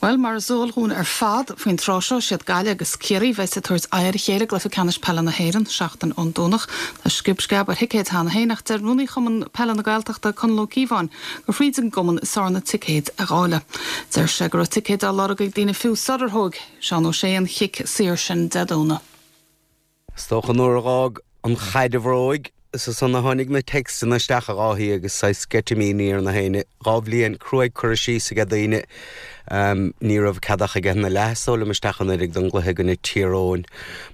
Bhuel, mar is eol dhúinn ar fad, faoin tráth seo, siad Gaillimh agus Ciarraí a bheas ag tabhairt aghaidh ar a chéile i gcluiche ceannais peile na hÉireann, seachtain ón Domhnach. Tá sciob sceab ar thicéid cheana féin ach deir Rúnaí Chumann Peile na Gaeltachta, Conall Ó Cíobháin, gur thríd an gcumann is fearr na ticéid a dháileadh. Deir sé go raibh ticéid á lorg ag daoine fiú sular thóg Seán Ó Sé an chic saor sin Dé Domhnaigh. Is dócha nuair a dh'fhág an chaid a bhróig, is ansan a tháinig na textanna isteach a Dháithí agus saghas sceitimíní ar na héinne. 2 bhliain cruaidh curtha síos aige daoine. Ní raibh cead ach aige na leath is dóigh liom isteach anuraidh don gcluiche i gcoinne Tír Eoghain.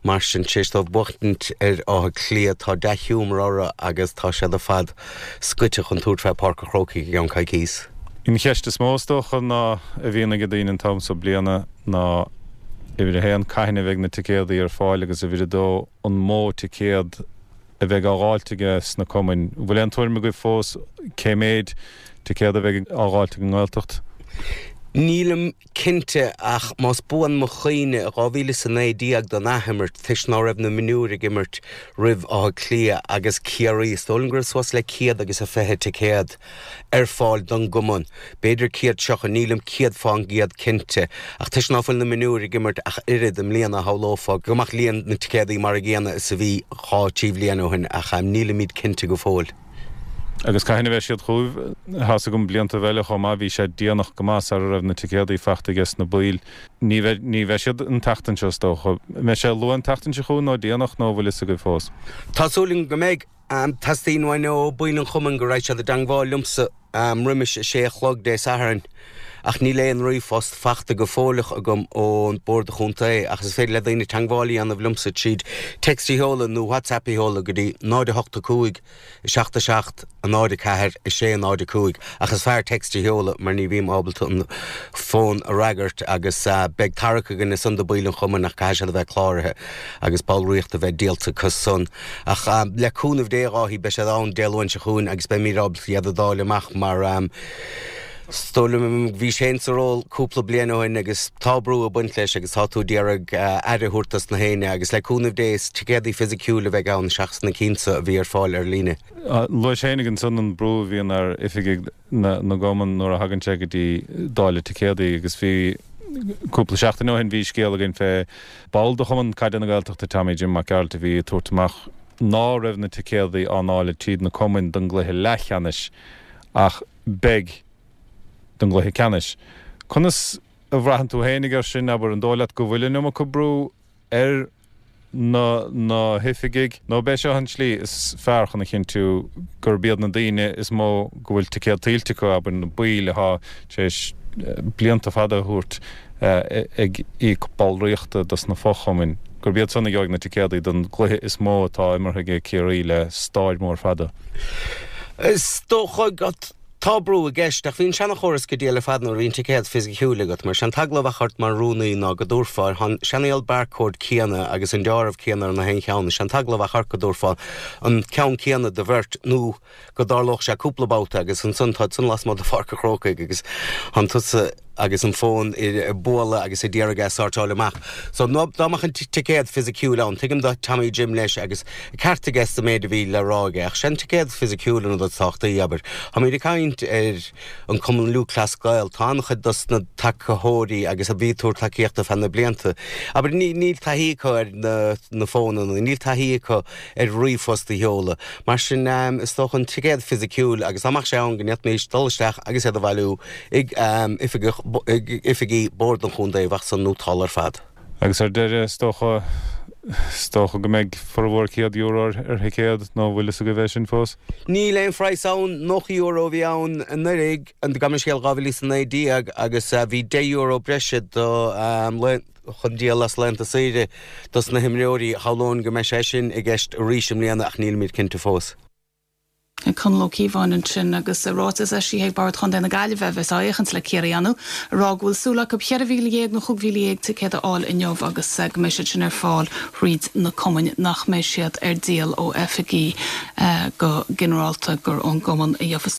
Mar sin, tar éis dóibh buachtaint ar Áth Cliath, tá dea-ghiúmar orthu agus tá siad ar fad scoite chun tabhairt fé Páirc an Chrócaigh i gceann coicíos. An cheist is mó is dócha ná a bhíonn ag daoine an t-am so bliana ná uimhir a haon, cathain a bheidh na ticéadaí ar fáil agus uimhir a dó, an mó ticéad a bheidh á dháilt aige sna cumainn. An bhfuil aon tuairim agaibh fós cé méid ticéad a bheidh á dháilt ag an nGaeltacht? Nílim cinnte ach más buan mo chuimhne, i 2019 don athimirt, toisc ná raibh na mionúir ag imirt roimh Áth Cliath agus Ciarraí, is dóigh liom go raibh suas le 120 ticéad ar fáil don gcumann. B'fhéidir 130, nílim 100% cinnte. Ach toisc ná fuil na mionúir ag imirt ach oiread i mbliana, shamhlófá go mbeadh líon na ticéadaí mar a gcéanna is a bhí dhá, trí bhliain ó shin, ach nílimid cinnte go fóill. Agus cathain a bheidh siad chugaibh? Tá's agam blianta eile chomh maith bhí sé déanach go maith sara raibh na ticéadaí fachta aige na baill. Ní bheidh, ní bheidh siad an tseachtain seo is dócha. An mbeidh sé luath an tseachtain seo chugainn nó déanach nó an bhfuil fhios agaibh fós? Tá súil agam go mbeidh. Teastaíonn uainn ó baill an chumainn go raghaidh siad i dteangmháil liomsa roimis a sé a chlog Dé Sathairn ach níl aon ríomhphost fachta go fóilleach agam ón Bord Chontae ach is féidir le daoine teangmháil a dhéanamh liomsa tríd text a sheoladh nó WhatsApp a sheoladh go dtí 0 8 5 7 7 0 4 6 0 5 ach is fearr text a sheoladh mar ní bhím ábalta an fón a fhreagairt agus beidh tarrac againn ansan do baill an chumainn ach caithfidh siad a bheith cláraithe agus ballraíocht a bheith díolta acu san. Ach le cúnamh Dé, a Dháithí, beidh siad ann Dé Luain seo chugainn agus beimid ábalta iad a dháileadh amach mar is dóigh liom, bhís féin sa ról cúpla bliain ó shin agus tá brú ag baint leis agus tá tú ag iarraidh aire a thabhairt dos na héinne agus le cúnamh Dé is ticéadaí fisiciúil a bheidh ann seachas na cinn so a bhí ar fáil ar líne. Luais féinig ansan an brú a bhíonn ar oifigigh na gcumann nuair a thagann sé go dtí dáileadh ticéadaí agus bhí cúpla seachtain ó shin bhí scéal againn fé ball de Chumann Caide na Gaeltachta Tommy Jim Mac Gearailt a bhí ag tabhairt amach ná raibh na ticéadaí á ndáileadh tríd na cumainn don gcluiche leathcheannais ach beidh don gcluiche ceannais. Conas a bhraitheann tú féinig air sin, abair, an dóigh leat go bhfuil an iomarca brú ar na na hoifigigh, nó ab é seo an tslí is fearr chun a chinntiú gurb iad na daoine is mó go bhfuil ticéad tuillte acu, abair, na baill atá tar éis blianta fada a thabhairt ag íoc ballraíochta dos na fo-chumainn, gurb iad san a gheobhaidh na ticéadaí don gcluiche is mó atá imeartha ag Ciarraí le stáir mhór fada. Is dócha go. Tá brú i gceist, ach bhí an seanchóras go diail ar fad nuair a bhí an ticéad fisiciúil agat, mar sé an t-eagla a bheadh ort mar rúnaí ná go dtabharfá, tá an seanaíol barcode céanna agus an deáramh céanna ar na haon cheann, is sé an t-eagla a bheadh ort go dtabharfá an ceann céanna do bheirt nó go dtarlódh sé cúpla babhta agus ansan tá san lasmuigh de Pháirc an Chrócaigh agus tánn tusa agus an fón ag bualadh agus ag iarraidh é a sortáil amach. So dá mbeadh an ticéad fisiciúil ann, tuigim do Tommy Jim leis agus ceart aige sa méid a bhí le rá aige, ach sé an ticéad fisiciúil an rud is tábhachtaí, abair. Táimid ag caint ar an Cumann Lúthchleas Gael, tá an-chuid dos na tacaitheoirí agus a bhí ag tabhairt tacaíochta feadh na blianta, abair, níl taithí acu ar na fónanna, níl taithí acu ar ríomhphost a sheoladh. Mar sin, is dócha an ticéad fisiciúil agus dá mbeadh sé ann go ndéanfaimis dul isteach agus iad a bhailiú ag oifigí Bord an Chontae, bheadh san nótálta ar fad. Agus ar deireadh, is dócha, is dócha go mbeidh formhór €100 ar thicéad, nó an bhfuil fhios agaibh é sin fós? Níl aon phraghas ann, €90 a bhí ann anuraidh, gabh mo leithscéal, 2019, agus bhí €10 breise do chun díol as laethanta saoire dos na himreoirí. Shamhlóinn go mbeidh sé sin i gceist arís i mbliana ach nílimid cinnte fós. Conall Ó Cíobháin ansin agus ráiteas eisithe ag Bord Chontae na Gaillimhe, a bheas á fhéachaint le Ciarraí ann, ag rá go bhfuil súil acu 14,000 nó 15,000 ticéad a fháil inniu agus go mbeidh siad sin ar fáil thríd na cumainn, nach mbeidh siad ar díol ó oifigí go ginearálta, gur ón gcumann a gheofas.